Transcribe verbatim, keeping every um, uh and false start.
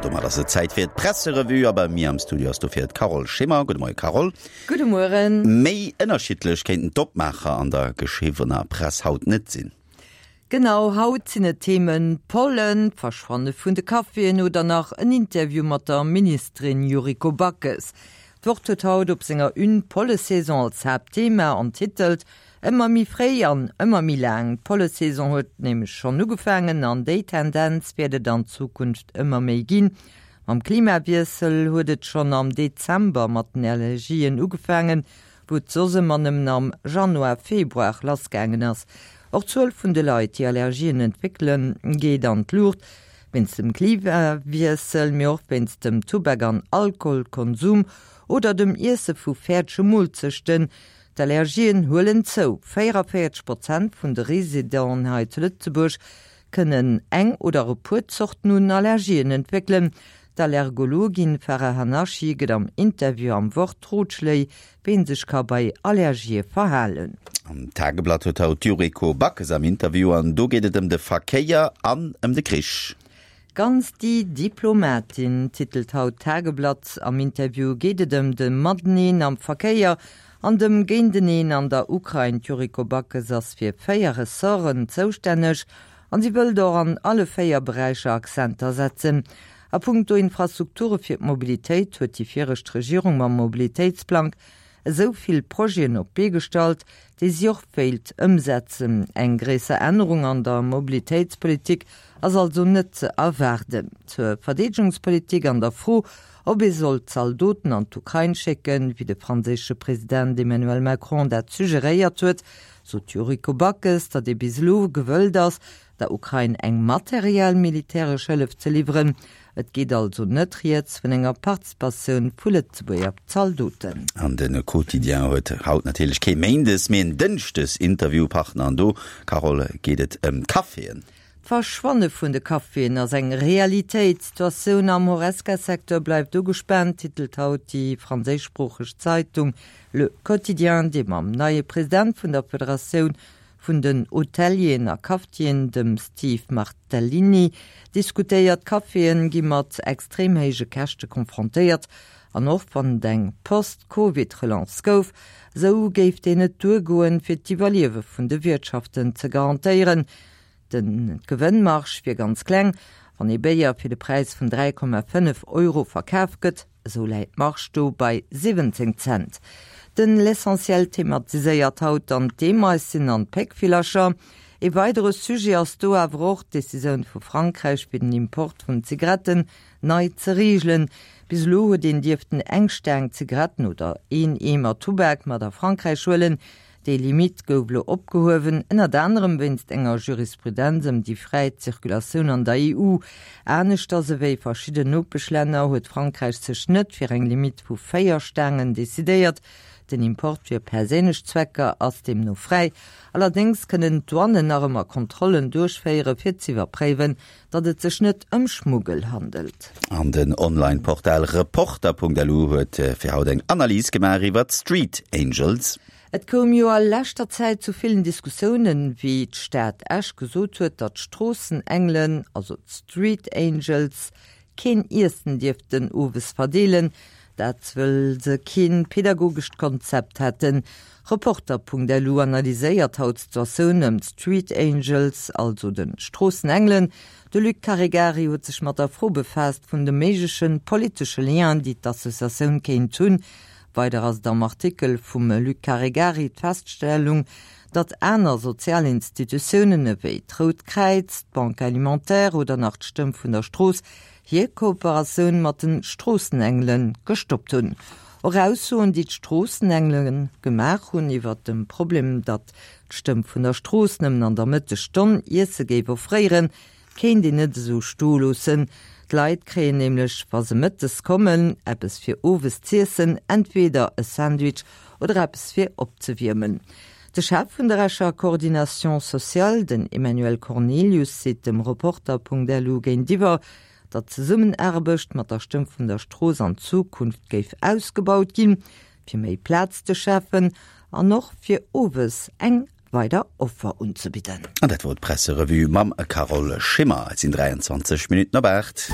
Domat ass et Zäit fir d'Presserevue a bei mir am Studio ass dofir d'Carole Schimmer. Gudde Moie Carole. Gudde Mueren. Méi ënnerschiddlech kéinten d'Opmaacher an der geschriwwener Press haut net sinn. Genau, haut sinn et d'Themen Pollen, d'Verschwanne vun de Caféen oder nach en Interview mat der Ministerin Yuriko Backes. D'Wort huet haut op senger Une d'Pollesaison als Haaptthema an titelt Ëmmer méi fréi an ëmmer méi laang. D'Pollesaison huet nämlech schonn ugefaangen an déi Tendenz wäert et an Zukunft ëmmer méi ginn. Mam Klimawiessel huet et schonn am Dezember mat den Allergien ugefaangen, wou et soss ëmmer nëmmen am Januar, Februar lassgaangen ass. Och d'Zuel vun de Leit, déi Allergien entwéckelen, geet an d'Luucht. Wéinst dem Klimawiessel, mee och wéinst dem Tubak an Alkoholkonsum oder dem Iesse vu fäerdege Moolzechten. D'Allergien huelen zou. véierunddräisseg Prozent vun de Residenten hei zu Lëtzebuerg kënnen eng oder e puer Zorten un Allergien entwéckelen. D'Allergologin Farah Hannachi gëtt am Interview am Wort Rotschléi, wéi een sech ka bei Allergië verhalen. Am Tageblatt huet haut d'Yuriko Backes am Interview an do geet et ëm de Verkéier an ëm de Krich. Ganz die Diplomatin, titelt haut d'Tageblatt. Am Interview geet et ëm de Mateneen am Verkéier an dem Géinteneen an der Ukrain. D'Yuriko Backes ass fir véier Ressorten zoustänneg an si wëllt och an alle véier Beräicher Akzenter setzen. A punkto Infrastrukture fir d'Mobilitéit huet déi viregt Regierung mam Mobilitéitsplang esou vill Projeten op d'Bee gestallt, déi si och wéilt ëmsetzen. Eng gréisser Ännerung an der Mobilitéitspolitik ass also net ze erwaarden. Zur Verdeedegungspolitik an der Fro, ob ee soll Zaldoten an d'Ukrain schécken, wéi de franséische President Emmanuel Macron dat suggeréiert huet, sot d'Yuriko Backes, datt ee bis elo gewëllt ass, der Ukrain eng materiell militäresch Hëllef ze liwweren. Et geet also net rieds vun enger Participatioun vu Lëtzebuerger Zaldoten. An de Quotidien huet haut natierlech kee Méindes, mee en Dënschdes Interviewpartner an do, Carole, geet et ëm d'Caféen. D'Verschwanne vun de Caféen ass eng Realitéit. D'Situatioun am Horesca-Secteur bleift ugespaant, titelt haut déi franséischsproocheg Zeitung Le Quotidien, déi mam neie President vun der Federatioun vun den Hotelieren a Cafetieren, dem Steve Martellini, diskutéiert. D'Caféen gi mat extrem héije Käschte konfrontéiert an och wann et eng Post-Covid-Relance gouf, esou géif déi net duergoen, fir d'Iwwerliewe vun de Wiertschaften ze garantéieren. Den d'Gewënnmarge wier ganz kleng. Wann ee Béier fir de Präis vun dräi Komma fënnef Euro verkaf gëtt, esou läit d'Marge do bei siwwenzéng Cent. Den L'Essentiel thematiséiert haut dann d'Eemeisschen an d'Péckvillercher. Ee weidere Sujet ass do awer och d'Decisioun vu Frankräich fir den Import vun Zigaretten nei ze reegelen. Bis elo huet een dierften eng Staang Zigaretten oder een Eemer Tubak mat a Frankräich huelen. Déi Limitt gouf elo opgehuewen, ënnert anerem wéinst enger Jurisprudenz ëm déi fräi Zirkulatioun an der E U. Aneschters ewéi verschidden Nopeschlänner huet Frankräich sech net fir eng Limitt vu véier Staangen decidéiert. Den Import fir perséinlech Zwecker ass deemno fräi. Allerdéngs kënnen d'Douanen nach ëmmer Kontrollen duerchféiere fir z'iwwerpréiwen, datt et sech net ëm Schmuggel handelt. An den Online-Portal Reporter Punkt L U huet fir haut eng Analys gemaach iwwer d'Street Angels. Et koum jo a leschter Zäit zu villen Diskussiounen, wéi d'Stad Esch gesot huet, datt d'Stroossenengelen, also d'Street Angels, keen Iessen dierften owes verdeelen, dat wëll se keen pedagogescht Konzept hätten. Reporter Punkt L U analyséiert haut d'Situatioun ëm d'Street Angels, also de Stroossenengelen. De Luc Caregari huet sech mat der Fro befaasst vun de méigleche politesche Lienen, déi d'Associatioun kéint hunn. Weider ass et am Artikel vum Luc Caregari d'Feststellung, datt aner sozial Institutiounen ewéi d'Rout Kräiz, d'Banque Alimentaire oder nach d'Stëmm vun der Strooss hir Kooperatioun mat de Stroossenengele gestoppt hunn. Och Aussoen, déi d'Stroossenengele gemaach hunn iwwert dem Problem, datt d'Stëmm vun der Strooss nëmmen an der Mëttesstonn Iesse géif offréieren, kéint een net esou stoe loossen. D'Leit kréien nämlech, wa se mëttes kommen, eppes fir owes z'iessen, entweder e Sandwich oder eppes fir opzewiermen. De Chef vun der Escher Coordination sociale, den Emmanuel Cornelius, seet dem Reporter Punkt L U géintiwwer, datt d'Zesummenaarbecht mat der Stëmm vun der Strooss an Zukunft géif ausgebaut ginn, fir méi Plaz ze schafen an och fir owes eng weider Offer unzebidden. An dat wor d'Presserevue mam Carole Schimmer. Et sinn dräianzwanzeg Minutten op aacht.